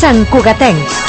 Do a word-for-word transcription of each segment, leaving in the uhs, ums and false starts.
Santcugatencs.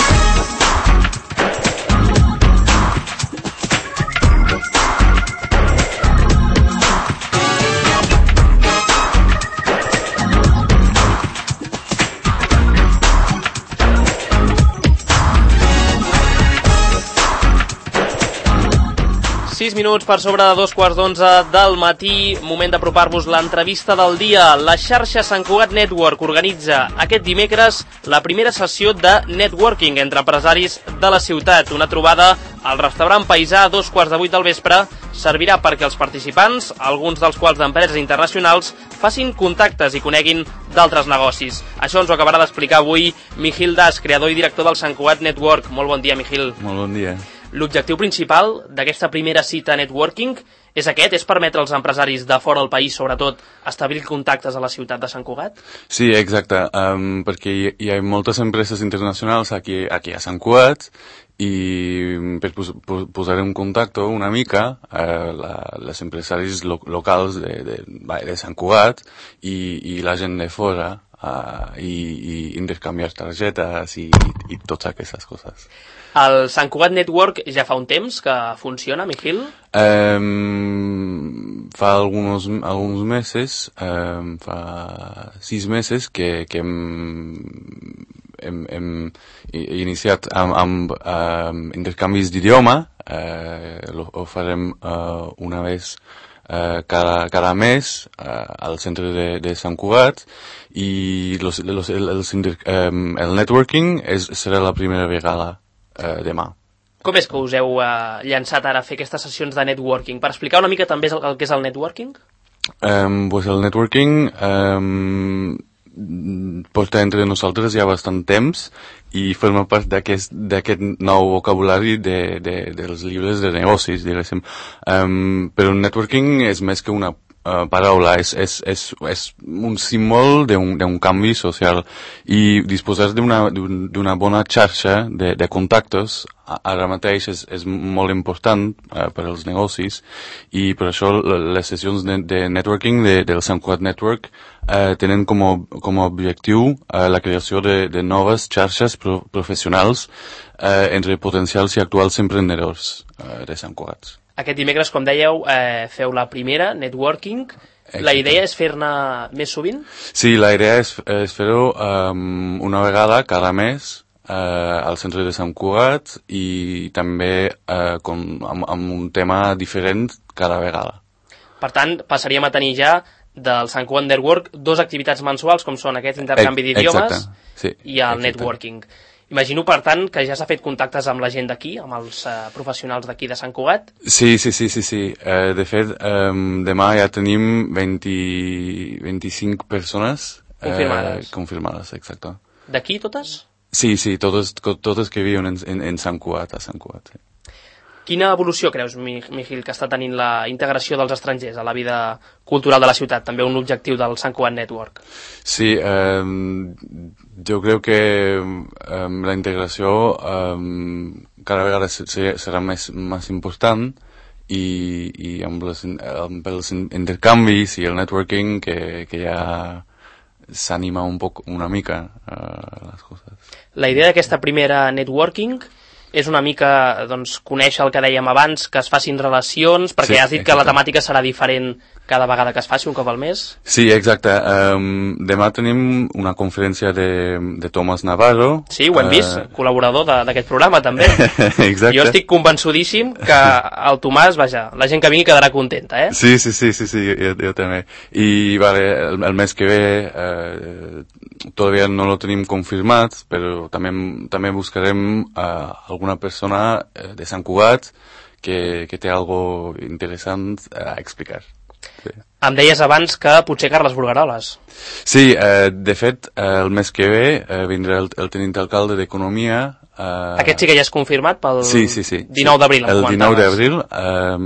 sis minuts per sobre de dos quarts d'onze del matí, moment d'apropar-vos l'entrevista del dia. La xarxa Sant Cugat Network organitza aquest dimecres la primera sessió de networking entre empresaris de la ciutat. Una trobada al restaurant Paisà a dos quarts de vuit del vespre servirà perquè els participants, alguns dels quals d'empreses internacionals, facin contactes i coneguin d'altres negocis. Això ens ho acabarà d'explicar avui Miquel Das, creador i director del Sant Cugat Network. Molt bon dia, Miquel. Molt bon dia. L'objectiu principal d'aquesta primera cita networking és aquest? És permetre als empresaris de fora del país, sobretot, establir contactes a la ciutat de Sant Cugat? Sí, exacte, um, perquè hi, hi ha moltes empreses internacionals aquí, aquí a Sant Cugat i per pos, pos, posar en contacte una mica eh, la, les empresaris lo, locals de, de, de Sant Cugat i, i la gent de fora uh, i, i intercanviar targetes i, i, i totes aquestes coses. El Sant Cugat Network ja fa un temps que funciona, Miquel? Um, fa algunos, algunos meses, um, fa sis meses que, que hem, hem, hem iniciat amb, amb um, intercanvis d'idioma. Uh, lo, ho farem uh, una vez uh, cada, cada mes uh, al centre de, de Sant Cugat i los, los, el, el, um, el networking és, serà la primera vegada. Uh, demà. Com és que us heu uh, llançat ara a fer aquestes sessions de networking? Per explicar una mica també el, el que és el networking? Um, pues el networking um, porta entre nosaltres ja bastant temps i forma part d'aquest nou vocabulari de, de, dels llibres de negocis, diguéssim. Um, però el networking és més que una Uh, paraula, és, és, és, és un símbol d'un canvi social i disposar d'una bona xarxa de, de contactes ara mateix és, és molt important uh, per als negocis i per això les sessions de, de networking de, del Sant Cugat Network uh, tenen com a, com a objectiu uh, la creació de, de noves xarxes pro, professionals uh, entre potencials i actuals emprenedors uh, de Sant Cugat. Aquest dimecres, com dèieu, eh, feu la primera, networking. Exacte. La idea és fer-ne més sovint? Sí, la idea és, és fer-ho um, una vegada cada mes uh, al centre de Sant Cugat i també uh, com, amb, amb un tema diferent cada vegada. Per tant, passaríem a tenir ja del Sant Cugat Network dos activitats mensuals, com són aquest intercanvi d'idiomes sí, i el exacte. networking. Imagino, per tant, que ja s'ha fet contactes amb la gent d'aquí, amb els uh, professionals d'aquí de Sant Cugat? Sí, sí, sí, sí. sí. Uh, de fet, um, demà ja tenim vint, vint-i-cinc persones confirmades. Uh, confirmades, exacte. D'aquí totes? Sí, sí, totes, totes que viuen en, en, en Sant Cugat, a Sant Cugat. Sí. Quina evolució creus, Miquel, que està tenint la integració dels estrangers a la vida cultural de la ciutat? També un objectiu del Sant Cugat Network. Sí, um, jo crec que um, la integració um, cada vegada serà més, més important i, i amb, les, amb els intercanvis i el networking que, que ja s'anima un poc, una mica uh, les coses. La idea d'aquesta primera networking és una mica, doncs, conèixer el que dèiem abans, que es facin relacions, perquè sí, has dit exacte. Que la temàtica serà diferent cada vegada que es faci, un cop al mes. Sí, exacte. Um, demà tenim una conferència de, de Tomàs Navarro. Sí, ho hem uh... vist, col·laborador d'aquest programa, també. Exacte. Jo estic convençudíssim que el Tomàs, vaja, la gent que vingui quedarà contenta, eh? Sí, sí, sí, sí, sí jo, jo també. I, vale, el, el mes que ve eh, todavía no lo tenim confirmat, però també, també buscarem uh, alguna persona de Sant Cugat que, que té algo interessant a explicar. Sí. Em deies abans que potser Carles Burgaroles. Sí, eh, de fet, eh, el mes que ve eh, vindrà el, el tenint alcalde d'Economia. Eh, Aquest sí que ja és confirmat pel sí, sí, sí, dinou d'abril. El dinou d'abril, eh,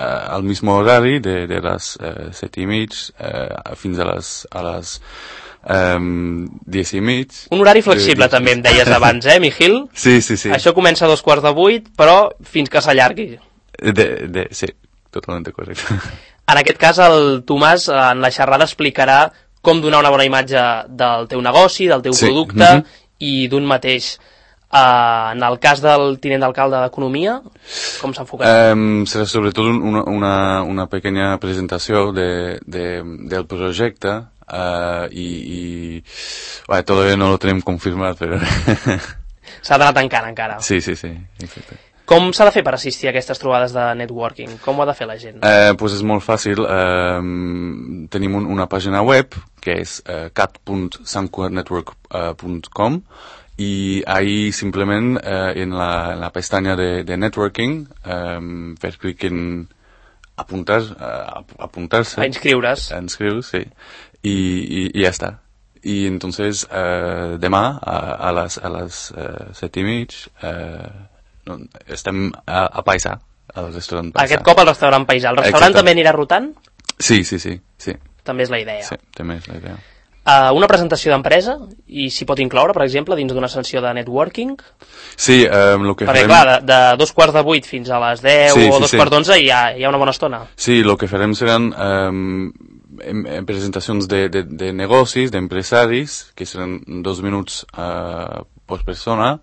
al mismo horari, de, de les eh, set i mig eh, fins a les, a les Um, diez i mig. Un horari flexible, eh, també em deies abans, eh, Miquel? Sí, sí, sí. Això comença a dos quarts de vuit, però fins que s'allargui. De, de, sí, totalment correcte. En aquest cas, el Tomàs, en la xerrada, explicarà com donar una bona imatge del teu negoci, del teu sí. producte, mm-hmm. i d'un mateix. Uh, en el cas del tinent d'alcalde d'Economia, com s'ha enfocat? Um, serà sobretot una, una, una pequeña presentació de, de, del projecte uh, i, i bueno, todavía no lo tenim confirmat, però... S'ha d'anar tancant encara. Sí, sí, sí, exacte. Com s'ha de fer per assistir a aquestes trobades de networking? Com ho ha de fer la gent? Eh, pues és molt fàcil. Eh, tenim un, una pàgina web que és eh, cat punt sant cugat network punt com i ahí simplement eh, en, la, en la pestanya de, de networking eh, fer clic en apuntar, eh, apuntar-se. A inscriure's. A inscriure's, sí. I, i, i ja està. Y entonces eh, demà a, a les, a les eh, set i mig eh, no, estem a, a Paisà, al restaurant Paisà. Aquest cop al restaurant Paisà. El restaurant Exacte. També anirà rotant? Sí, sí, sí, sí. També és la idea. Sí, també és la idea. Uh, una presentació d'empresa, i s'hi pot incloure, per exemple, dins d'una sessió de networking? Sí, um, el que Perquè, farem... clar, de, de dos quarts de vuit fins a les deu sí, o sí, dos sí. quarts d'onze hi, ha, hi ha una bona estona. Sí, el que farem seran um, en, en presentacions de, de, de negocis, d'empresaris, que seran dos minuts uh, per persona.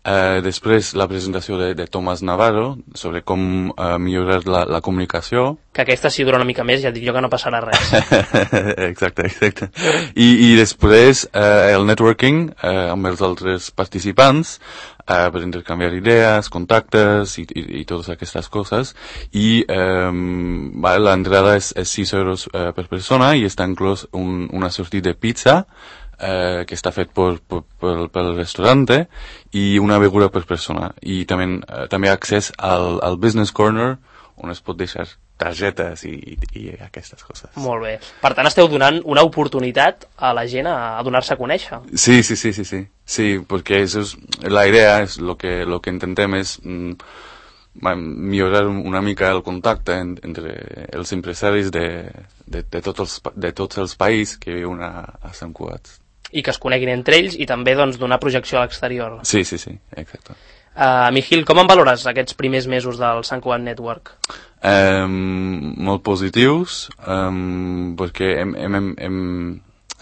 Uh, després la presentació de, de Tomàs Navarro sobre com uh, millorar la, la comunicació. Que aquesta si dura una mica més ja et dic jo que no passarà res. Exacte, exacte. I, i després uh, el networking uh, amb els altres participants uh, per intercanviar idees, contactes i, i, i totes aquestes coses. I um, vale, l'entrada és, és sis euros uh, per persona i està inclòs un, una sortida de pizza Eh, que està fet per, per, per, pel restaurant i una beguda per persona i també, eh, també accés al, al Business Corner on es pot deixar targetes i, i, i aquestes coses. Molt bé. Per tant, esteu donant una oportunitat a la gent a, a donar-se a conèixer. Sí, sí, sí, sí, sí, sí perquè eso es, la idea és lo que, lo que intentem és mm, millorar una mica el contacte en, entre els empresaris de, de, de, tots els, de tots els països que viuen a, a Sant Cugat. I que es coneguin entre ells i també doncs, donar projecció a l'exterior. Sí, sí, sí, exacte. Uh, Mijil, com en valores aquests primers mesos del Sant Cugat Network? Um, molt positius, um, perquè hem, hem, hem, hem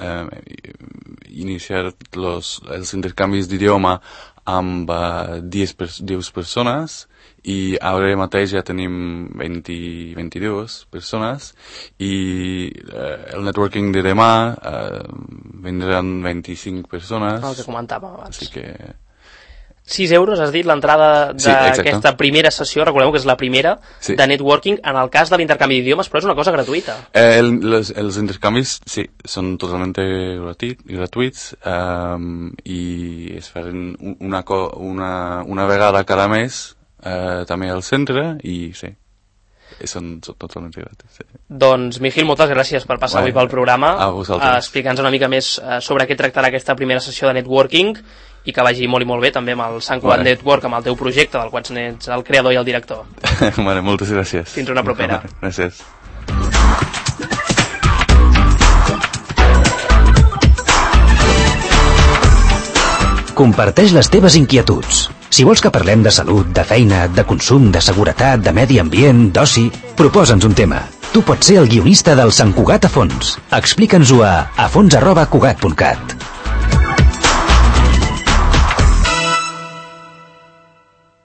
um, iniciat los, els intercanvis d'idioma amb uh, deu persones i ara mateix ja tenim vint, vint-i-dues persones i uh, el networking de demà uh, vindran vint-i-cinc persones. El que comentàvem abans. Així que... sis euros, has dit, l'entrada d'aquesta sí, primera sessió, recordeu que és la primera, sí. de networking, en el cas de l'intercanvi d'idiomes, però és una cosa gratuïta. Eh, el, les, els intercanvis, sí, són totalment gratuïts, gratuïts um, i es faran una, una, una vegada cada mes eh, també al centre i sí, són, són totalment gratis. Sí. Doncs, Mijil, moltes gràcies per passar bueno, avui pel programa, a explicant-nos una mica més sobre què tractarà aquesta primera sessió de networking i que vagi molt i molt bé també amb el Sant Cugat Network, amb el teu projecte, del qual ets el creador i el director. Vale, moltes gràcies. Fins una propera. Gràcies. Comparteix les teves inquietuds. Si vols que parlem de salut, de feina, de consum, de seguretat, de medi ambient, d'oci, proposa'ns un tema. Tu pots ser el guionista del Sant Cugat a fons. Explica'ns-ho a afons arroba cugat punt cat.